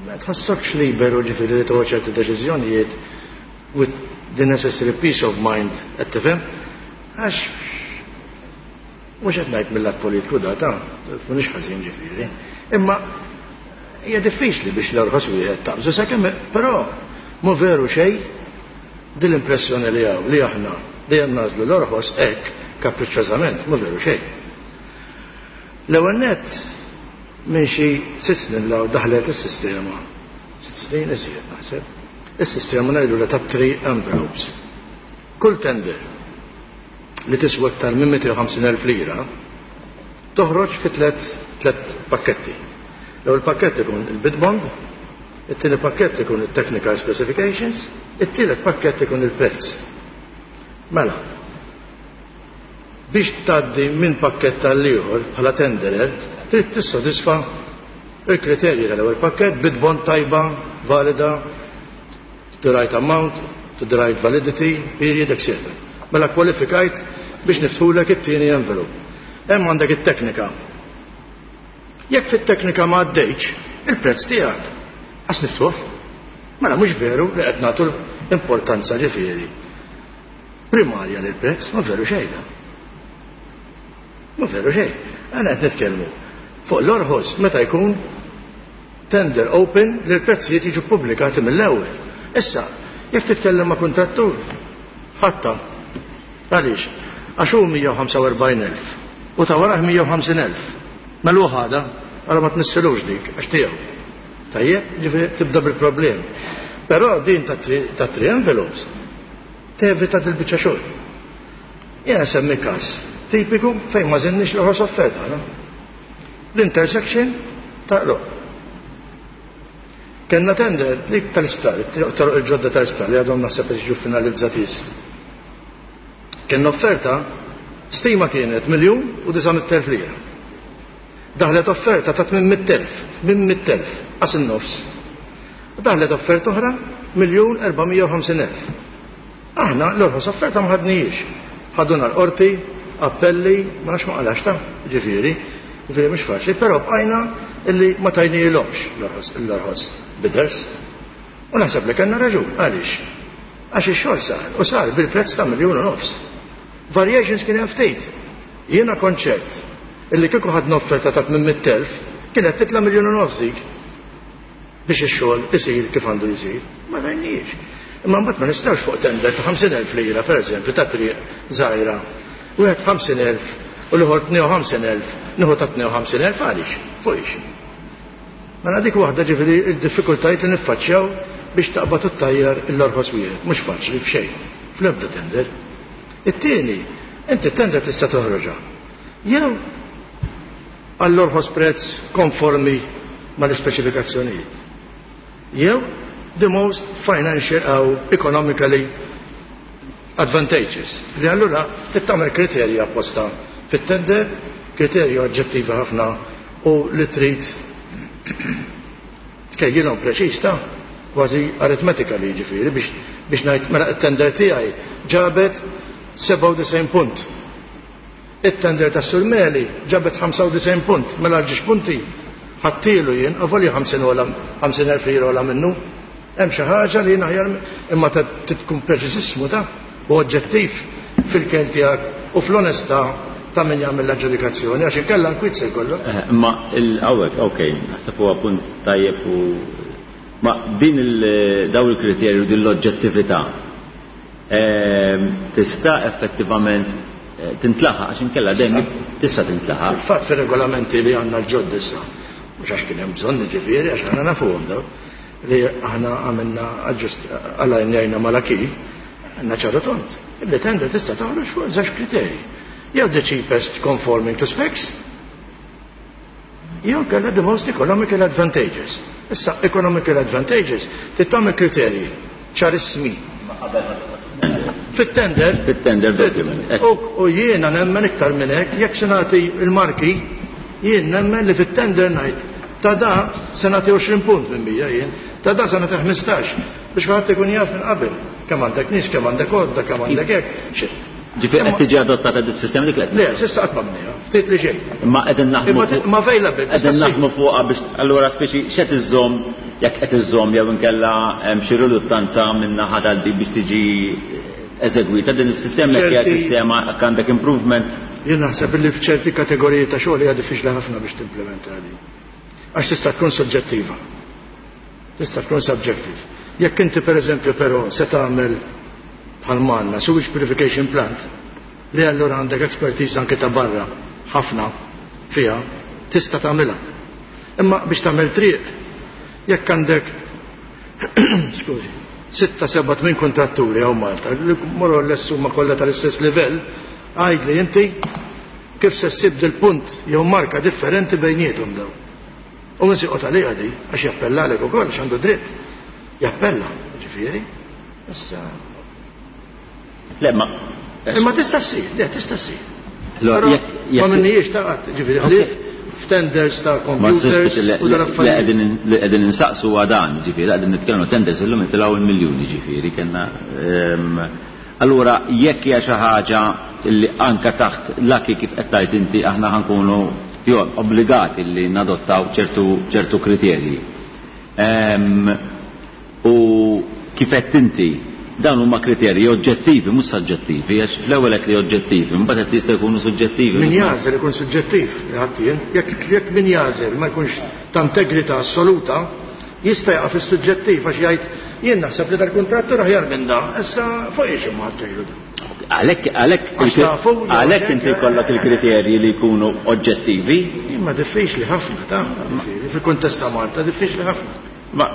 ma tħossokx liberu ġifieri li tieħu ċerti deċiżjonijiet with the necessary peace of mind, qed tifhem? Għax mhux qed ngħid mill-lat politiku data, tkunix ħażin ġifieri. Imma hija diffiċli biex l-orħos wieħed taqbżu sakemm però mhu veru xejn din l-impressjoni li hawn li aħna dejjem nagħżlu l-orħos hekk kapriċċożament mhu veru xejn. L-ewwel nett minn xi sitt snin law daħlet is-sistema, 6 snin iżjed naħseb, is-sistema ngħidulha ta' three envelopes. Kull tender li tiswa iktar minn 250,000 lira toħroġ fi tliet pakketti. L-ewwel pakkett ikun il-bid bond, it-tieni pakkett ikun il-technical specifications, it-tielet pakkett ikun il-prezz. Mela, biex tgħaddi minn pakkett tal-ieħor bħala tenderer, trid tissodisfa il-kriterji tal-ewwel pakkett, bid bond tajba, valida, to the right amount, to the right validity, period, etc. Mela kwalifikajt biex niftħulek it-tieni envelope. Hemm għandek it-teknika. Jekk fit-teknika ma għaddejtx, il-prezz tiegħek għas niftuħ. Mela mhux veru li qed nagħtu importanza ġifieri primarja lil prezz, ma veru xejn. Ma veru xejn. Għana qed nitkellmu fuq l-orħos meta jkun tender open li l-prezzijiet jiġu pubblikati mill-ewwel. Issa, jekk titkellem ma' kuntrattur, ħatta. Għaliex? Għax hu 145,000 u ta' warah 150,000. Mela hu ħada, għara ma tmissilux dik, għax tiegħu. Tajjeb, ġifieri tibda bil-problem. Però din ta' three envelopes tevita dil-biċċa xogħol. Jiena semmi każ tipiku fejn ma żinniex l-orħos offerta, no? L-intersection ta' Qroqq. Kenna tender dik tal-isptar, toroq il-ġodda tal-isptar li għadhom naħseb qed jiġu finalizzati issa. Kenna offerta stima kienet 1,900,000 lira. Daħlet offerta ta' 800,000, 800,000, qas in-nofs. Daħlet offerta oħra 1,450,000. Aħna l-orħos offerta ma ħadnijiex. Ħaduna l-qorti, appelli, ma nafx ma qalax ta' ġifieri, ġifieri mhux faċli, però bqajna illi ma tajnielhomx l-orħos bidders. U naħseb li kellna raġun, għaliex? Għax ix-xogħol sar, u sar bil-prezz ta' 1.5 miljun. Variations kien hemm ftit. Jiena konċert illi kieku ħadna offerta ta' 800,000 kienet titla' 1.5 miljun dik biex ix-xogħol isir kif għandu jsir. Ma tajniex. Imma mbagħad ma nistgħux fuq tender ta' 50,000 lira, pereżempju, ta' triq żgħira. Wieħed 50,000 u l-ieħor 52,000, nieħu ta' 52,000 għaliex? Fuq ix. Mela dik waħda ġifieri d-diffikultajiet li niffaċċjaw biex taqbad u ttajjar l-orħos wieħed. Mhux faċli f'xejn, fl-ebda tender. It-tieni, inti tender tista' toħroġha. Jew għall-orħos prezz konformi mal-ispeċifikazzjonijiet. Jew the most financial or economically advantageous. Li allura trid tagħmel kriterji apposta fit-tender, kriterji oġġettivi ħafna u li trid tkejjilhom preċiż ta' kważi aritmetika li jiġifieri biex ngħid mela t-tender tiegħi ġabet 97 punt. It-tender ta' Surmeli ġabet 95 punt, mela ġiex punti ħattilu jien, avolja 50,000 lira ola minnu. Hemm xi ħaġa li jien aħjar imma tkun preċiżissmu ta' u oġġettiv fil-kel tiegħek u fl-onestà ta' min jagħmel l-aġġudikazzjoni għax inkella nkwiet se jkollok. Imma il-hawnhekk, ok, naħseb huwa punt tajjeb u ma din daw il-kriterju din l-oġġettività tista' effettivament tintlaħaq għax inkella dejjem tista' tintlaħaq. Fil-fatt fir-regolamenti li għandna l-ġodda issa. Mhux għax kien hemm bżonn jiġifieri għax aħna nafuhom dawn li aħna għamilna alajnjajna mal-acquis, għandna ċaru tond. Illi tender tista' toħroġ fuq żewġ kriterji. Jew the cheapest conforming to specs, jew kellha the most economical advantageous. Issa economical advantageous trid tagħmel kriterji ċarissimi. Fit-tender. Fit-tender document. U jiena nemmen iktar minn hekk, jekk se nagħti l-marki, jien nemmen li fit-tender ngħid ta' da se nagħti 20 punt minn 100 jien, ta' da se nagħti 15 biex kulħadd ikun jaf minn qabel kemm għandek nies, kemm għandek għodda, kemm għandek hekk. Ġifieri qed tiġi adottata dis-sistema dik li Le, s'issa qatt ma bniha, ftit li xejn. Imma qegħdin naħdmu Imma available. Qegħdin naħdmu fuqha biex allura speċi x'qed iżżomm jekk qed iżżomm jew inkella hemm xi riluttanza minn naħa tal-di biex tiġi eżegwita din is-sistema jekk hija sistema jekk għandek improvement. Jien naħseb li f'ċerti kategoriji ta' xogħol hija diffiċli ħafna biex timplementa din. Għax tista' tkun soġġettiva. Tista' tkun subjective. Jekk inti pereżempju però se tagħmel bħal m'għandna sewage purification plant li allura għandek expertise anke ta' barra ħafna fiha, tista' tagħmilha. Imma biex tagħmel triq, jekk għandek skużi, sitta, seba' tmien kontratturi hawn Malta, li more or less huma kollha tal-istess livell, għidli inti kif se ssib dil-punt jew marka differenti bejniethom dawn. U min se joqgħod għaliha di, għax jappellalek ukoll, għax għandu dritt. Jappella, ġifieri. Issa. Le, ma. Imma tista' ssir, le, tista' ssir. Ma minnijiex ta' qatt, ġifieri, ħlief f'tenders ta' computers u dal-affarijiet. Li qegħdin insaqsu huwa dan, ġifieri, qegħdin nitkellmu tenders illum jitilgħu il-miljuni, ġifieri, kellna. Allura jekk hija xi ħaġa li anke taħt l-acquis kif qed tgħid inti aħna ħa nkunu obbligati li nadottaw ċertu ċertu kriterji. U kif għedt inti, dawn huma kriterji oġġettivi mhux saġġettivi, għax fl-ewwel għedt li oġġettivi, imbagħad għedt li jistgħu jkunu suġġettivi. Min jagħżel ikun suġġettiv, għedt jien. Jekk jekk min jagħżel ma jkunx ta' integrità assoluta, jista' jaqa' fis-suġġettiv għax jgħid jien naħseb li dal-kuntrattur aħjar minn da, issa fuq ix imma ħadd da. Għalhekk għalhekk għalhekk inti jkollok il-kriterji li jkunu oġġettivi. Imma diffiċli ħafna ta' fil-kuntest ta' Malta diffiċli ħafna. Ma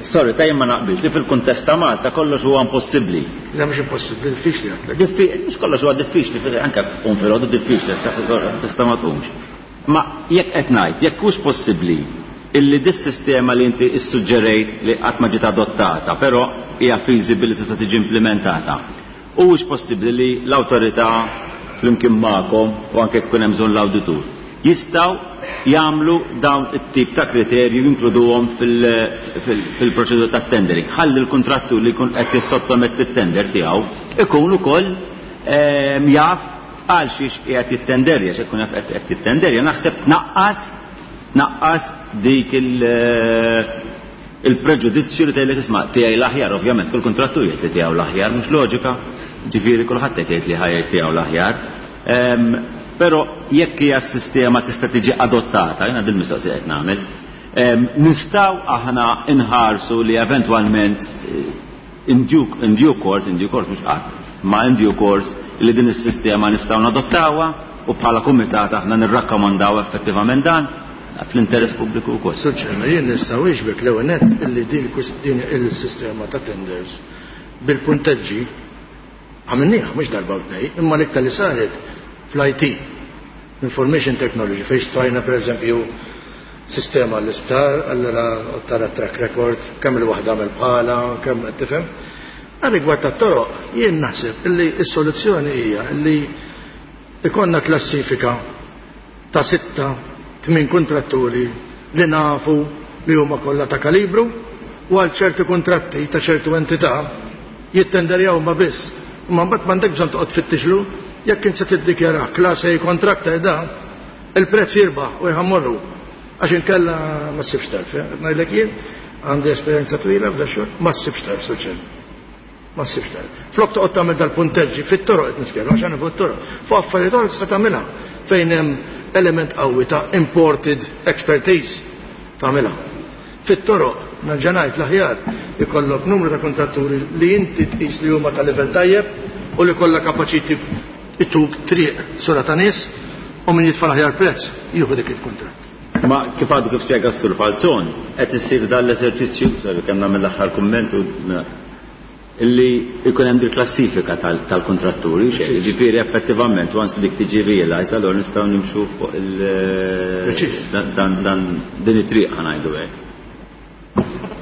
sorry ta' jien ma naqbilx li fil-kuntest ta' Malta kollox huwa impossibbli. Le mhux impossibbli, diffiċli għedtlek. Mhux kollox huwa diffiċli, anke tqum filgħodu diffiċli, tista' ma tqumx. Ma jekk qed ngħid, jekk hux possibbli illi dis-sistema li inti issuġġerejt li qatt ma ġiet adottata, però hija feasible li tista' tiġi implimentata, huwiex possibbli li l-awtorità flimkien magħkom u anke jekk ikun hemm bżonn l-awditur, jistgħu jagħmlu dawn it-tip ta' kriterji u jinkluduhom fil-proċedura tat-tendering. Ħalli l-kuntrattur li jkun qed jissottometti t-tender tiegħu ikun ukoll jaf għal xiex qiegħed jittenderja, x'ikun jaf qed jittenderja, naħseb tnaqqas tnaqqas dik il-preġudizzju li tgħidlek isma' tiegħi l-aħjar, ovvjament kull kuntrattur jgħid li tiegħu l-aħjar, mhux loġika, ġifieri kulħadd qed jgħid li ħa jgħid tiegħu l-aħjar. Però jekk hija s-sistema tista' tiġi adottata, jiena din mistoqsija qed nagħmel, nistgħu aħna nħarsu li eventwalment In due, in due course, in due course mhux qatt, ma in due course li din is-sistema nistgħu nadottawha u bħala kumitat aħna nirrakkomandaw effettivament dan fl-interess pubbliku wkoll. Sur Chairman, jien nista' wieġbek l-ewwel nett illi din din il-sistema ta' tenders bil-punteġġi għamilniha mhux darba u tnejn, imma l-iktar li saret fl-IT. Information Technology fejn xtrajna pereżempju sistema għall-isptar, allura tara track record, kemm il-waħda għamel bħala, kemm qed tifhem. Għal rigward tat-toroq, jien naħseb illi s-soluzzjoni hija illi ikollna klassifika ta' sitta, tmien kuntratturi li nafu li huma kollha ta' kalibru u għal ċerti kuntratti ta' ċertu entità jittenderjaw huma biss. Imma mbagħad m'għandekx bżonn toqgħod tfittixlu, jekk int se tiddikjarah class A contractor da, il-prezz jirbaħ u jħammorru. Għax inkella ma ssibx tarf, eh? Qed ngħidlek jien għandi esperjenza twila f'da xogħol, ma ssibx tarf soċjali. Ma ssibx tarf. Flok toqgħod tagħmel dal-punteġġi fit-toroq qed nitkellem għax fuq it-toroq. Fuq affarijiet oħra tista' tagħmilha fejn hemm element qawwi ta' imported expertise tagħmilha. Fit-toroq, nerġa' ngħid l-aħjar ikollok numru ta' kuntratturi li inti tqis li huma ta' livell tajjeb u li kollha kapaċi jtuk triq sura ta' nies u min jitfa' l-aħjar prezz jieħu dik il-kuntratt. Ma kif għadu kif spjega s-Sur Falzon, qed issir dan l-eżerċizzju, sorry kemm nagħmel l-aħħar kumment u illi jkun hemm dil klassifika tal-kontratturi, ġifieri effettivament once dik tiġi realized, allura nistgħu nimxu fuq il dan dan din it-triq ħa ngħidu hekk.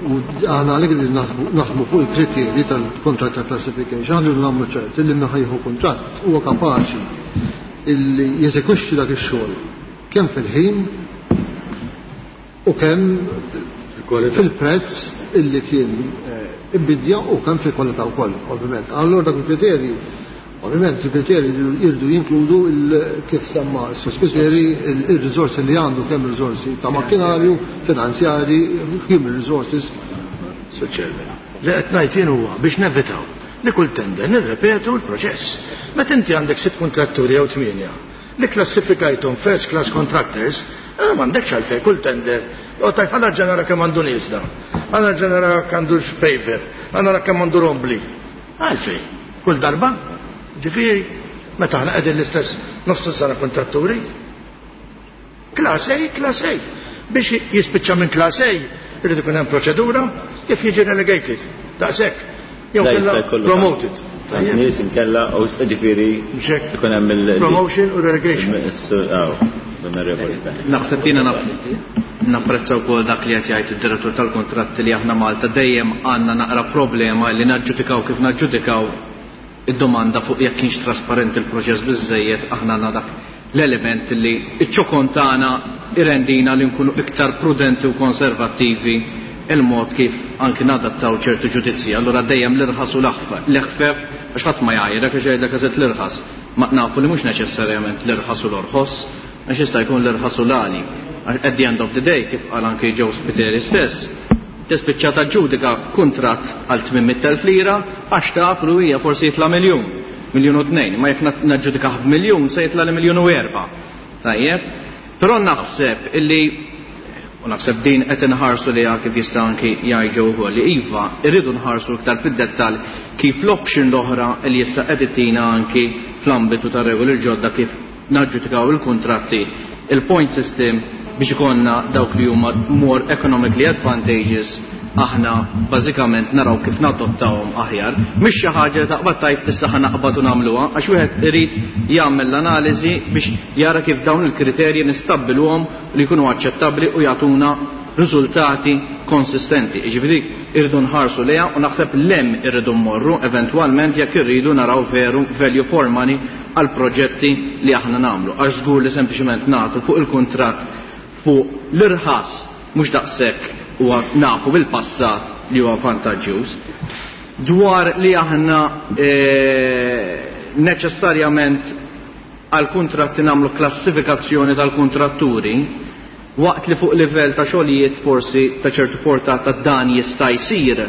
U aħna għalhekk li naħdmu fuq il-kriterji tal-contractor classification, aħna rridu nagħmlu ċert illi min ħa jieħu kuntratt huwa kapaċi illi jeżegwixxi dak ix-xogħol kemm fil-ħin u kemm fil-prezz illi kien ibbidja u kemm fil-kwalità wkoll, ovvjament. Allura dak il-kriterji, ovvjament il-kriterji jridu jinkludu kif semma s-Sur Spiteri il-riżorsi li għandu, kemm riżorsi ta' makkinarju, finanzjari, human resources. Sur Chairman, li qed ngħid jien huwa biex nevitaw li kull tender nirrepetu l-proċess. Meta inti għandek sitt kuntratturi jew tmienja li klassifikajthom first class contractors, allura m'għandekx għalfejn kull tender joqgħod tgħid ħa nerġa' nara kemm għandu nies da, ħa nerġa' nara jekk għandux paver, ħa nara kemm għandu rombli. Għalfejn? Kull darba? Ġifieri, meta aħna qegħdin l-istess nofs sena kontratturi. Class A, Class A. Biex jispiċċa minn Class A, irid ikun hemm proċedura kif jiġi relegated. Daqshekk. Jew kella promoted. Nies inkella u ġifieri ikun hemm il- Promotion u relegation. Naħseb jiena napprezza wkoll dak li qed jgħid id-direttur tal-kuntratti li aħna Malta dejjem għandna naqra problema li naġġudikaw kif naġġudikaw id-domanda fuq jekk kienx trasparenti l-proċess biżżejjed, aħna għandna dak l-element li ċ-ċokon tagħna irendina li nkunu iktar prudenti u konservattivi il-mod kif anki nadattaw ċertu ġudizzji. Allura dejjem l-irħas u l-eħfef, għax ħadd ma jgħajrek għax jgħidlek għażilt l-irħas. Ma nafu li mhux neċessarjament l-irħas u l-orħos, għax jista' jkun l-irħas u l-għali. At the end of the day, kif qal anki Joe Spiteri stess, tispiċċa taġġudika kuntratt għal 800,000 lira għax taf li hija forsi jitla' miljun, miljun u tnejn, ma jekk naġġudikah b'miljun se jitla' li miljun u erba'. Tajjeb? Però naħseb illi, u naħseb din qed inħarsu liha kif jista' anki jgħid Joe ukoll, li iva irridu nħarsu iktar fid-dettall kif l-option l-oħra li issa qed ittina anki fl-ambitu tar-regoli l-ġodda kif naġġudikaw il-kuntratti, il-point system biex ikollna dawk li huma more economically advantageous, aħna bażikament naraw kif nadottawhom aħjar. Mhix xi ħaġa li taqbad tgħid issa ħa naqbad u nagħmluha, għax wieħed irid jagħmel l-analiżi biex jara kif dawn il-kriterji nistabbilhom li jkunu aċċettabbli u jagħtuna riżultati konsistenti. Jiġifieri dik irridu nħarsu lejha u naħseb l-hemm irridu mmorru eventwalment jekk irridu naraw veru value for money għal proġetti li aħna nagħmlu. Għax żgur li sempliċement nagħtu fuq il-kuntratt fuq l-irħas mhux daqshekk huwa nafu bil-passat li huwa vantaġġjuż. Dwar li aħna neċessarjament għal kuntratti nagħmlu klassifikazzjoni tal-kuntratturi, waqt li fuq livell ta' xogħlijiet forsi ta' ċertu portata dan jista' jsir,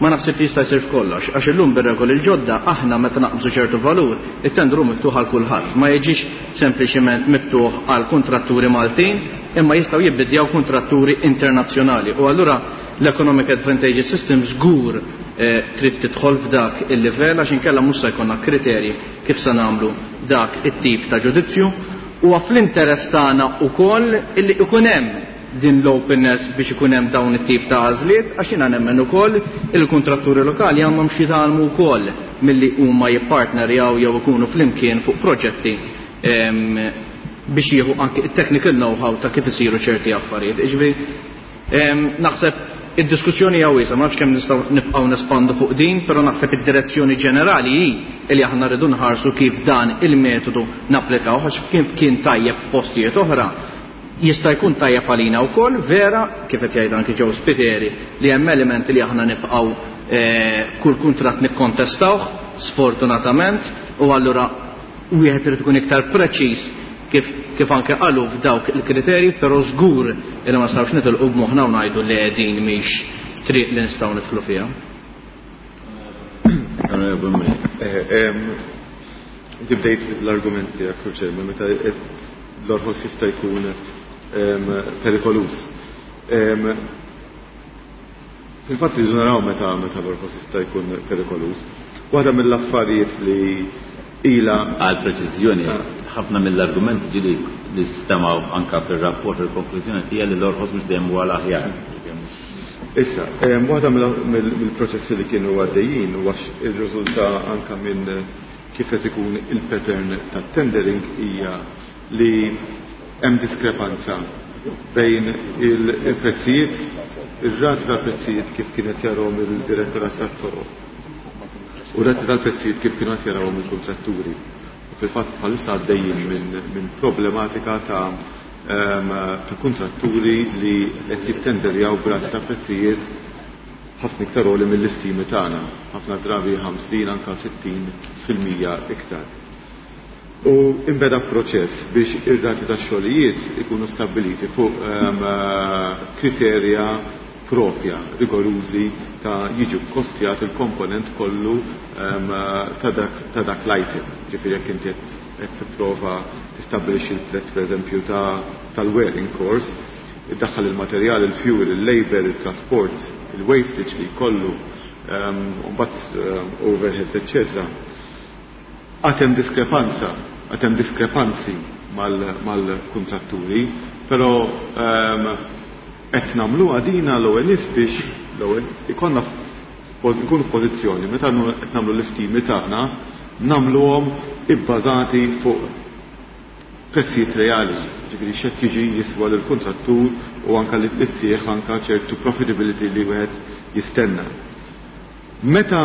ma naħseb li jista' jsir f'kollox, għax illum bir-regoli l-ġodda aħna meta naqbżu ċertu valur, it-tender hu miftuħ għal kulħadd, ma jiġix sempliċiment miftuħ għal kuntratturi Maltin, imma jistgħu jibbidjaw kuntratturi internazzjonali. U allura l-Economic Advantage System żgur trid tidħol f'dak il-livell għax inkella mhux se jkollna kriterji kif se nagħmlu dak it-tip ta' ġudizzju. Huwa fl-interess tagħna wkoll illi ikun hemm din l-openness biex ikun hemm dawn it-tip ta' għażliet, għax jiena nemmen ukoll il-kuntratturi lokali għandhom xi jitgħallmu wkoll milli huma jippartnerjaw jew ikunu flimkien fuq proġetti biex jieħu anke it-technical know-how ta' kif isiru ċerti affarijiet. Jiġifieri naħseb id-diskussjoni hija wiesgħa, ma nafx kemm nistgħu nibqgħu nespandu fuq din, però naħseb id-direzzjoni ġenerali hi li aħna rridu nħarsu kif dan il-metodu napplikaw, għax kif kien tajjeb f'postijiet oħra, jista' jkun tajjeb għalina wkoll, vera, kif qed jgħid anki Joe Spiteri, li hemm elementi li aħna nibqgħu kull kuntratt nikkontestawh, sfortunatament, u allura wieħed irid ikun iktar preċiż kif anke qalu f'dawk il-kriterji, però żgur li ma nistgħux nitilqu b'moħħna u ngħidu li din mhix triq li nistgħu nidħlu fiha. Inti bdejt l-argument tiegħek, Sur Chairman, meta l-orħos jista' jkun perikolus. Fil-fatt irridu naraw meta l-orħos jista' jkun perikolus. Waħda mill-affarijiet li ila għal preċiżjoni Ħafna mill-argumenti ġieli li stemgħu anke fir-rapport il-konklużjoni hija li l-orħos mhux dejjem huwa l-aħjar. Issa, waħda mill-proċessi li kienu għaddejjin u għax irriżulta anke minn kif qed ikun il-pattern tat-tendering hija li hemm diskrepanza bejn il-prezzijiet, ir-rati tal-prezzijiet kif kienet jarahom il-Direttorat tat-Toroq u r-rati tal-prezzijiet kif kienu qed jarawhom il-kuntratturi. U fil-fatt bħalissa għaddejjin minn problematika ta' kuntratturi li qed jittenderjaw b'rati ta' prezzijiet ħafna iktar għoli mill-istimi tagħna, ħafna drabi 50 anka 60% iktar. U imbeda proċess biex ir-rati ta' xogħlijiet ikunu stabbiliti fuq kriterja propja, rigorużi ta' jiġu kostjat il-komponent kollu ta' dak l-item. Ġifieri jekk inti qed tipprova tistabbilixxi l-prezz pereżempju tal-wearing course, iddaħħal il-materjal, il-fuel, il-labor, il-trasport, il-wastage li jkollu, u mbagħad overheads, eccetera. Għad hemm diskrepanza, għad hemm diskrepanzi mal-kuntratturi, però qed nagħmluha dina l-ewwel nies biex l-ewwel ikollna nkunu f'pożizzjoni meta qed nagħmlu l-istimi tagħna nagħmluhom ibbażati fuq prezzijiet reali, ġifieri x'qed jiġi jiswa lill-kuntrattur u anke li ttieħ anke ċertu profitability li wieħed jistenna. Meta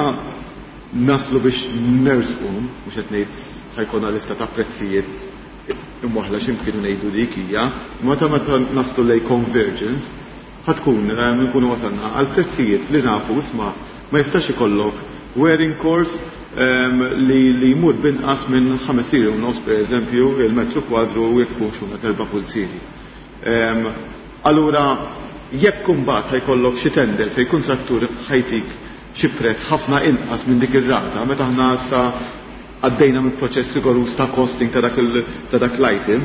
naslu biex nersqu, mhux qed ngħid ħa jkollna lista ta' prezzijiet imwaħla x'imkien ngħidu dik hija, meta naslu lej convergence, ħa tkun nkunu wasalna għal prezzijiet li nafu isma' ma jistax ikollok wearing course li jmur binqas minn 5 liri u nofs pereżempju il-metru kwadru u jekk ikun xuna 4 pulzieri. Allura jekk imbagħad ħajkollok xi tender fejn kuntrattur ħajtik xi prezz ħafna inqas minn dik ir-rata, meta aħna issa għaddejna minn proċess rigoruż ta' costing ta' dak l-item,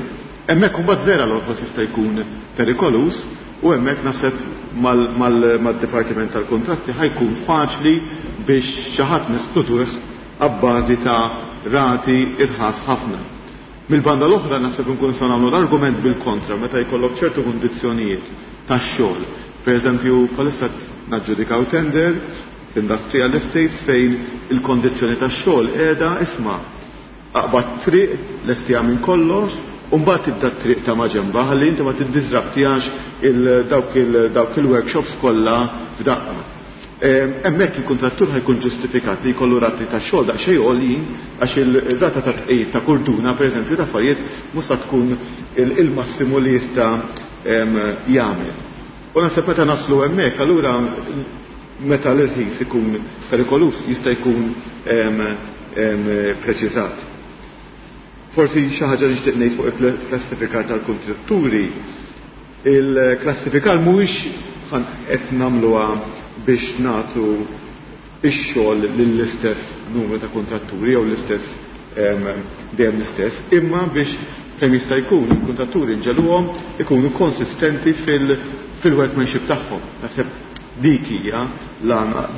hemmhekk imbagħad vera l-orħos jista' jkun perikoluż u hemmhekk naħseb mad-Dipartiment tal-Kuntratti ħajkun faċli biex xi ħadd neskluduh abbażi ta' rati irħas ħafna. Mill-banda l-oħra naħseb nkun nistgħu nagħmlu l-argument bil-kontra meta jkollok ċertu kundizzjonijiet tax-xogħol. Per eżempju, bħalissa naġġudikaw tender f'industrial estates fejn il-kondizzjoni tax-xogħol qiegħda isma' aqbad triq lestija minn kollox u mbagħad tibda t-triq ta' maġenba ħalli inti ma tiddiżrabtijax dawk il-workshops kollha f'daqqa. Hemmhekk il-kuntrattur ħajkun ġustifikat li jkollu rati ta' xogħol daqsxejn għoljin għax il-rata ta' tqejjid ta' kurduna pereżempju ta' affarijiet mhux se tkun il-massimu li jista' jagħmel. U naħseb meta naslu hemmhekk allura meta l-irħis ikun perikolus jista' jkun preċiżat. Forsi xi ħaġa li nixtieq ngħid fuq il-klassifikar tal-kuntratturi, il-klassifikar mhuwiex qed nagħmluha biex nagħtu ix-xogħol lill-istess numru ta' kuntratturi jew l-istess dejjem l-istess, imma biex kemm jista' jkun il-kuntratturi nġeluhom ikunu konsistenti fil-workmanship tagħhom. Naħseb dik hija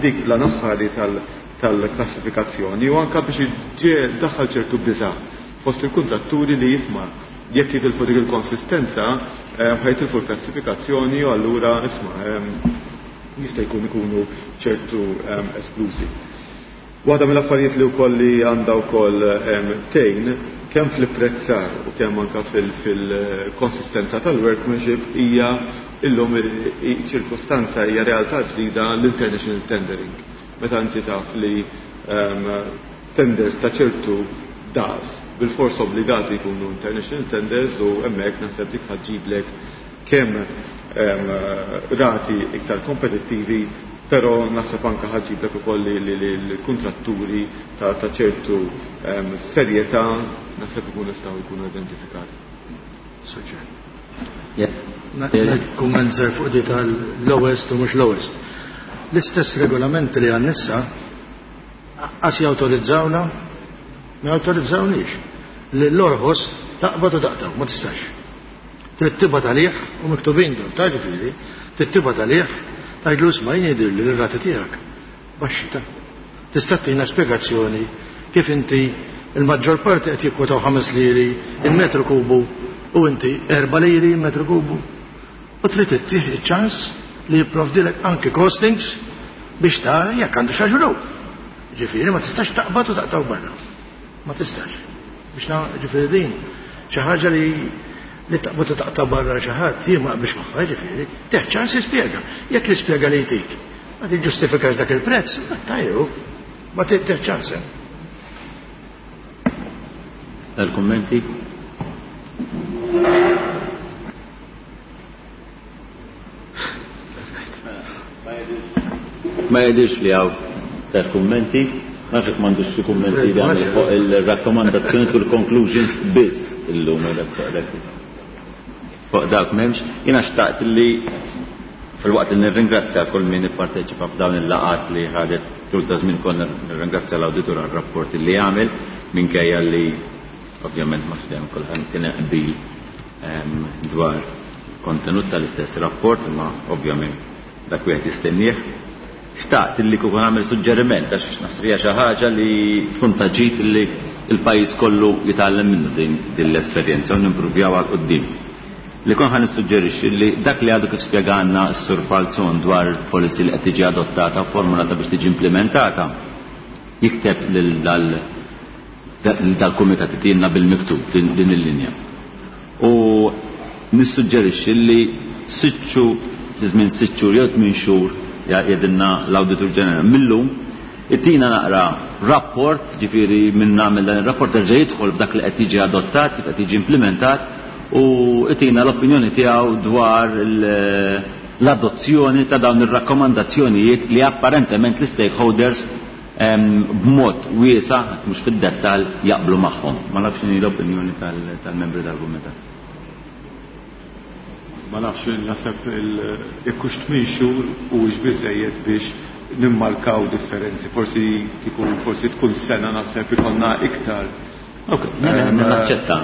dik l-aħħari tal-klassifikazzjoni u anke biex daħħal ċertu biża' fost il-kuntratturi li jisma' jekk jitilfu dik il-konsistenza ħajtilfu l-klassifikazzjoni u allura isma' jista' jkun ikunu ċertu esklużi. Waħda mill-affarijiet li wkoll li għandha wkoll tgħin kemm fl-ipprezzar u kemm anke fil-konsistenza tal-workmanship hija illum ċirkustanza hija realtà ġdida l-international tendering. Meta inti taf li tenders ta' ċertu daqs bil-fors obbligati jkunu international tenders u hemmhekk naħseb dik ħaġġiblek kemm rati iktar kompetittivi, però naħseb anke ħaġġiblek ukoll li l-kuntratturi ta' ċertu serjetà naħseb ikunu jistgħu jkunu identifikati. Soċer. Kumment żgħir fuq di tal-lowest u mhux lowest. L-istess regolamenti li għan-nissa qas jawtorizzawna, ma jawtorizzawniex. Li l-orħos taqbad u taqtaw, ma tistax. Trid tibgħat għalih u miktubin dawn, ta' ġifieri, trid tibgħat għalih, tgħidlu isma' jien jidhirli li r-rati tiegħek baxxi ta'. Tista' tina spjegazzjoni kif inti Il-maġġor parti qed jikkwotaw 5 liri il-metru kubu u inti 4 liri il-metru kubu. U trid ittih iċ-ċans li jipprovdilek anki costings biex tara jekk għandu xaġru. Ġifieri ma tistax taqbad u taqtaw barra. Ma tistax. Biex na ġifieri din xi ħaġa li li taqbad u taqta' barra xi ħadd jien ma naqbilx magħha ġifieri. Tih ċans jispjega. Jekk l-ispjega li jtik ma tiġġustifikax dak il-prezz, ma tajru. Ma tih ċans hemm. Dal-kummenti? Ma jidhirx li hawn iktar kummenti. Ma nafx jekk m'għandux xi kummenti li għamel fuq il-rakkomandazzjoni u l-conclusions biss illum fuq dak m'hemmx. Jiena xtaqt li filwaqt li nirringrazzja kull min ipparteċipa f'dawn il-laqgħat li ħadet tul ta' żmien konna nirringrazzja l-awditur għar-rapport li għamel minkejja li Ovvjament ma dejjem kulħadd kien hemm qbil ehm, dwar kontenut tal-istess rapport, imma ovvjament dak wieħed jistennieh. Xtaqt illi kieku nagħmel suġġeriment għax naħseb hija xi ħaġa li tkun ta' ġid li l-pajjiż kollu jitgħallem minnu din l-esperjenza u nimpruvjaw għal quddiem. Li kon ħa nissuġġerixxi li dak li għadu kif spjegalna s-Sur Falzon dwar il-policy li qed tiġi adottata u formulata biex tiġi implementata, jikteb lil dal dal-kumitat itilna bil-miktub din il-linja. U nissuġġerixxi li sitt xhur, fi żmien sitt xhur jew tmien xhur jgħidilna l-Awditur Ġenerali millum, itina naqra rapport, ġifieri minn nagħmel dan ir-rapport terġa' jidħol f'dak li qed jiġi adottat, kif qed jiġi implementat u itina l-opinjoni tiegħu dwar l-adozzjoni ta' dawn ir-rakkomandazzjonijiet li apparentement l-istakeholders b'mod wiesa', mhux fid-dettall, jaqblu magħhom. Ma nafx x'inhi l-opinjoni tal-membri tal-kumitat. Ma nafx, naħseb jekk hux tmien xhur huwiex biżżejjed biex nimmarkaw differenzi. Forsi kieku forsi tkun sena naħseb ikollna iktar. Ok, mela naċċetta.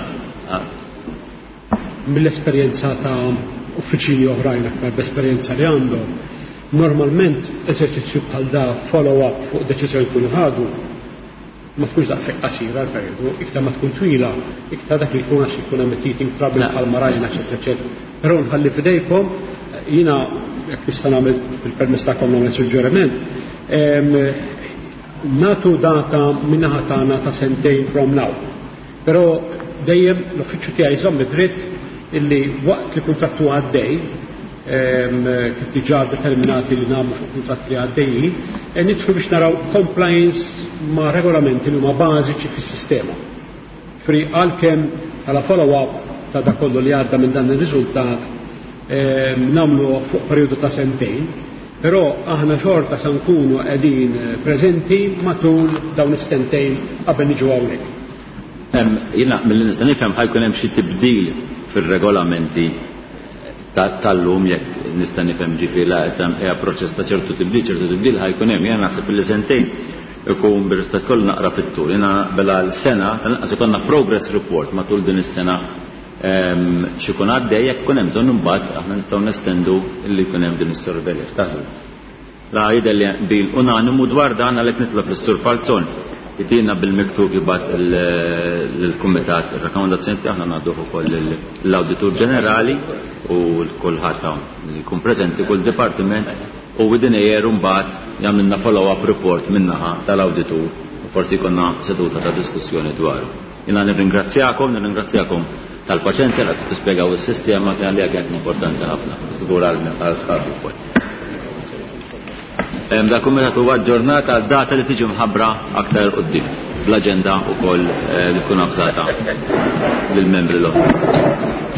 Mill-esperjenza ta' uffiċini oħrajn aktar b'esperjenza li għandhom, normalment eżerċizzju bħal da follow-up fuq deċiżjoni jkunu ħadu ma tkunx daqshekk qasira l-perjodu, iktar ma tkun twila, iktar dak li jkun għax ikun hemm teething trouble bħal ma rajna, eċetera, eċetera. Però nħalli f'idejkom, jiena jekk nista' nagħmel bil-permess tagħkom nagħmel suġġeriment, nagħtu data min-naħa tagħna ta' sentejn from now. Però dejjem l-uffiċċju tiegħi jżomm id-dritt illi waqt li kuntratt huwa għaddej, kif diġà determinati li nagħmlu fuq kuntratti li għaddejjin, eh, nidħlu biex naraw compliance ma' regolamenti li huma bażiċi fis-sistema. Fri għalkemm bħala follow-up ta' dak kollu li għadda minn dan ir-riżultat nagħmlu fuq perjodu ta' sentejn, però aħna xorta sa nkunu qegħdin preżenti matul dawn is-sentejn qabel niġu hawnhekk. Jiena milli nista' nifhem ħa jkun hemm xi tibdil fir-regolamenti tal-lum jekk nista' nifhem ġifieri la qed hija proċess ta' ċertu tibdil, ċertu tibdil ħa jkun hemm. Jiena naħseb illi sentejn ikun bir-rispett kollu naqra fit-tul. Jiena naqbel għal sena, tal-inqas ikollna progress report matul din is-sena x'ikun għaddej jekk ikun hemm bżonn imbagħad aħna nistgħu nestendu li jkun hemm din is-sorvelja. X'taħsbu? La jidher li hemm qbil unanimu dwar dan għalhekk nitlob lis-Sur Falzon jtina bil-miktub jibgħat lill-Kumitat ir-rakkomandazzjoni tiegħu aħna ngħadduh ukoll lill-Awditur Ġenerali u l kulħadd hawn li jkun preżenti kull dipartiment u within a year imbagħad jagħmlilna follow-up report min-naħa tal-awditur u forsi jkollna seduta ta' diskussjoni dwaru. Jiena nirringrazzjakom, nirringrazzjakom tal-paċenzja li qed tispjegaw is-sistema kien għalija kienet importanti ħafna, żgur għal sħabi wkoll. Dal-kumitat huwa aġġornat għal data li tiġi mħabbra aktar 'il quddiem bl-aġenda wkoll eh, li tkun avżata lill-membri l-oħra.